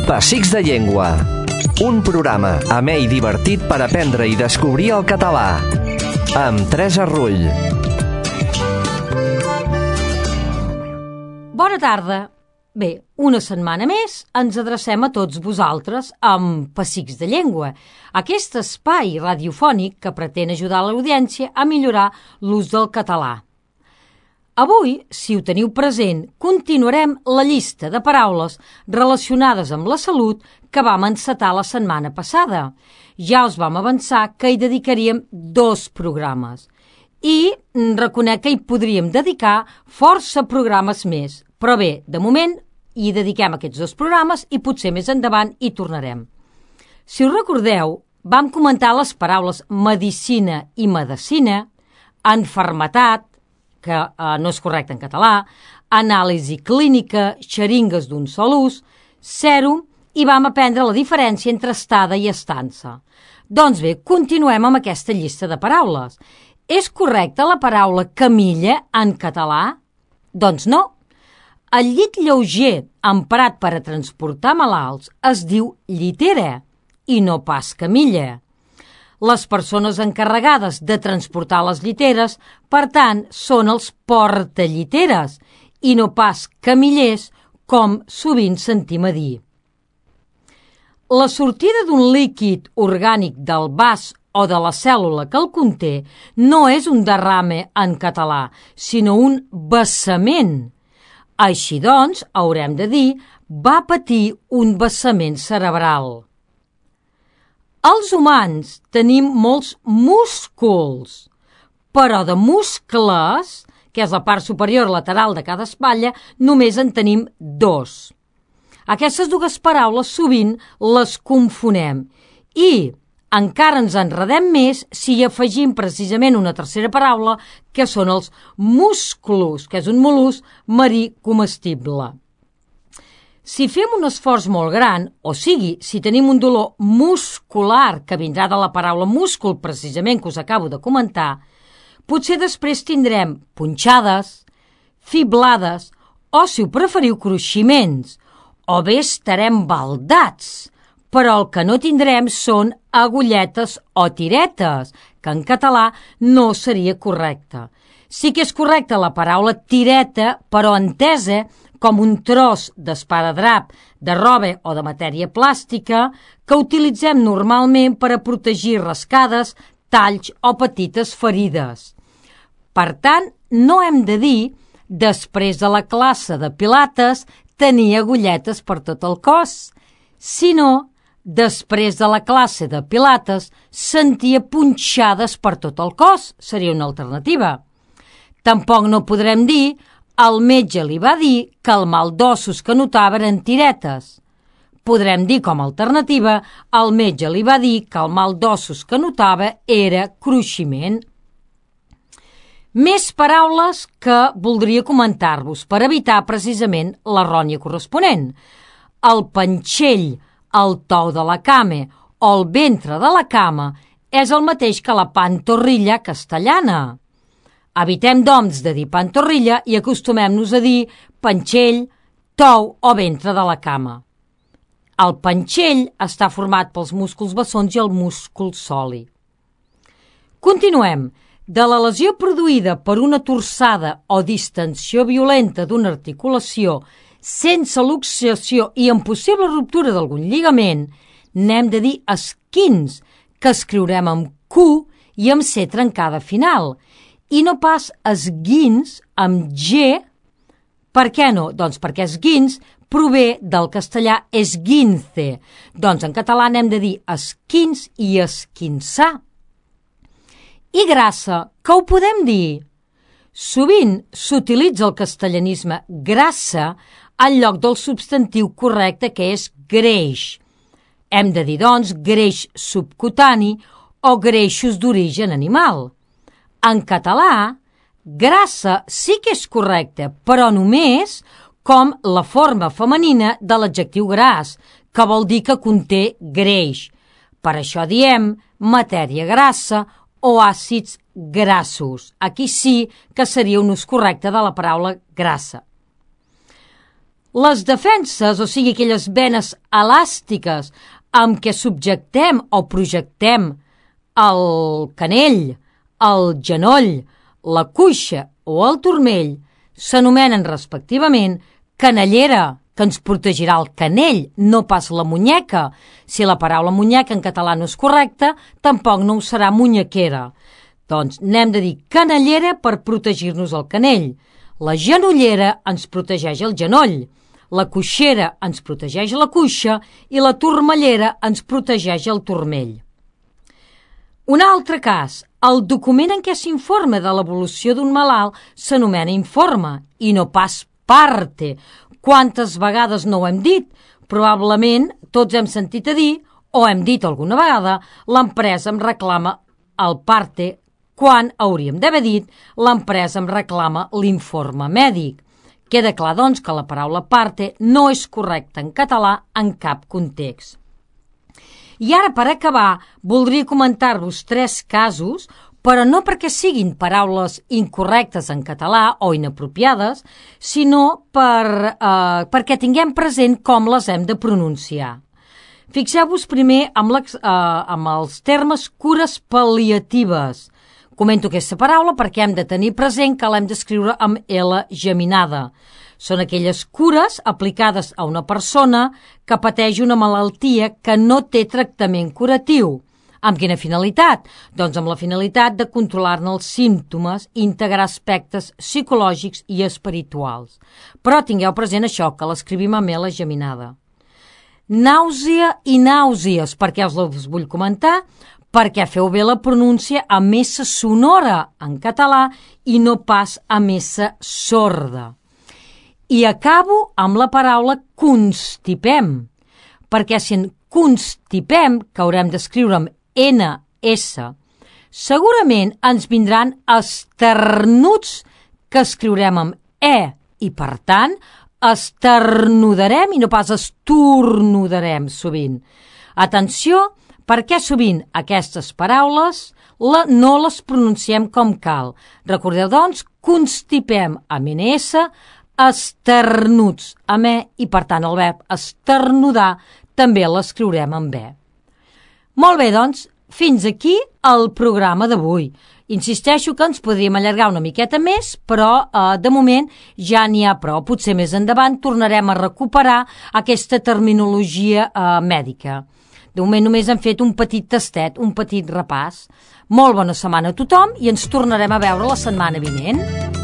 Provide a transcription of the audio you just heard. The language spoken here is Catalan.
Pessics de Llengua. Un programa amè i divertit per aprendre i descobrir el català. Amb Teresa Rull. Bona tarda. Bé, una setmana més ens adrecem a tots vosaltres amb Pessics de Llengua, aquest espai radiofònic que pretén ajudar l'audiència a millorar l'ús del català. Avui, si ho teniu present, continuarem la llista de paraules relacionades amb la salut que vam encetar la setmana passada. Ja us vam avançar que hi dedicaríem 2 programes i reconec que hi podríem dedicar força programes més. Però bé, de moment hi dediquem aquests 2 programes i potser més endavant hi tornarem. Si us recordeu, vam comentar les paraules medicina i medecina, enfermetat, que no és correcte en català, anàlisi clínica, xeringues d'un sol ús, sèrum, i vam aprendre la diferència entre estada i estança. Doncs bé, continuem amb aquesta llista de paraules. És correcta la paraula camilla en català? Doncs no. El llit lleuger emprat per a transportar malalts es diu llitera i no pas camilla. Les persones encarregades de transportar les lliteres, per tant, són els portalliteres i no pas camillers, com sovint sentim a dir. La sortida d'un líquid orgànic del vas o de la cèl·lula que el conté no és un derrame en català, sinó un vessament. Així doncs, haurem de dir, va patir un vessament cerebral. Els humans tenim molts músculs, però de muscles, que és la part superior lateral de cada espatlla, només en tenim 2. Aquestes 2 paraules sovint les confonem i encara ens enredem més si hi afegim precisament una tercera paraula, que són els musclos, que és un mol·lusc marí comestible. Si fem un esforç molt gran, o sigui, si tenim un dolor muscular, que vindrà de la paraula múscul, precisament, que us acabo de comentar, potser després tindrem punxades, fiblades, o, si ho preferiu, cruiximents, o bé estarem baldats, però el que no tindrem són agulletes o tiretes, que en català no seria correcte. Sí que és correcta la paraula tireta, però entesa com un tros d'esparadrap, de roba o de matèria plàstica que utilitzem normalment per a protegir rascades, talls o petites ferides. Per tant, no hem de dir, després de la classe de pilates, tenir agulletes per tot el cos, sinó, després de la classe de pilates, sentia punxades per tot el cos, seria una alternativa. Tampoc no podrem dir el metge li va dir que el mal d'ossos que notava eren tiretes. Podrem dir com a alternativa el metge li va dir que el mal d'ossos que notava era cruiximent. Més paraules que voldria comentar-vos per evitar precisament l'errònia corresponent. El panxell, el tou de la cama o el ventre de la cama és el mateix que la pantorrilla castellana. Evitem, doncs, de dir pantorrilla i acostumem-nos a dir panxell, tou o ventre de la cama. El panxell està format pels músculs bessons i el múscul soli. Continuem. De la lesió produïda per una torçada o distensió violenta d'una articulació sense luxació i amb possible ruptura d'algun lligament, n'hem de dir esquins, que escriurem amb Q i amb C trencada final, i no pas esguins amb G. Per què no? Doncs perquè esguins prové del castellà esguince. Doncs en català n'hem de dir esquins i esquinçar. I grassa, que ho podem dir? Sovint s'utilitza el castellanisme grassa en lloc del substantiu correcte, que és greix. Hem de dir, doncs, greix subcutani o greixos d'origen animal. En català, grassa sí que és correcte, però només com la forma femenina de l'adjectiu gras, que vol dir que conté greix. Per això diem matèria grassa o àcids grassos. Aquí sí que seria un ús correcte de la paraula grassa. Les defenses, o sigui, aquelles venes elàstiques amb què subjectem o projectem el canell, el genoll, la cuixa o el turmell, s'anomenen respectivament canellera, que ens protegirà el canell, no pas la munyeca. Si la paraula munyeca en català no és correcta, tampoc no ho serà munyequera. Doncs n'hem de dir canellera per protegir-nos el canell. La genollera ens protegeix el genoll. La cuixera ens protegeix la cuixa i la turmellera ens protegeix el turmell. Un altre cas, el document en què s'informa de l'evolució d'un malalt s'anomena informe i no pas parte. Quantes vegades no ho hem dit? Probablement tots hem sentit a dir, o hem dit alguna vegada, l'empresa em reclama el parte, quan hauríem d'haver dit l'empresa em reclama l'informe mèdic. Queda clar, doncs, que la paraula parte no és correcta en català en cap context. I ara, per acabar, voldria comentar-vos 3 casos, però no perquè siguin paraules incorrectes en català o inapropiades, sinó perquè tinguem present com les hem de pronunciar. Fixeu-vos primer amb els termes cures pal·liatives. Comento aquesta paraula perquè hem de tenir present que l'hem d'escriure amb L geminada. Són aquelles cures aplicades a una persona que pateix una malaltia que no té tractament curatiu. Amb quina finalitat? Doncs amb la finalitat de controlar-ne els símptomes i integrar aspectes psicològics i espirituals. Però tingueu present això, que l'escrivim amb L geminada. Nàusea i nàusees, perquè us les vull comentar, perquè feu bé la pronúncia amb S sonora en català i no pas amb S sorda. I acabo amb la paraula constipem, perquè si en constipem, que haurem d'escriure amb NS, segurament ens vindran esternuts que escriurem amb E i, per tant, esternudarem i no pas estornudarem sovint. Atenció, perquè sovint aquestes paraules no les pronunciem com cal. Recordeu, doncs, constipem amb NS, esternuts amb E i, per tant, el verb esternudar també l'escriurem amb E. Molt bé, doncs, fins aquí el programa d'avui. Insisteixo que ens podríem allargar una miqueta més, però de moment ja n'hi ha prou. Potser més endavant tornarem a recuperar aquesta terminologia mèdica. De moment només hem fet un petit tastet, un petit repàs. Molt bona setmana a tothom i ens tornarem a veure la setmana vinent.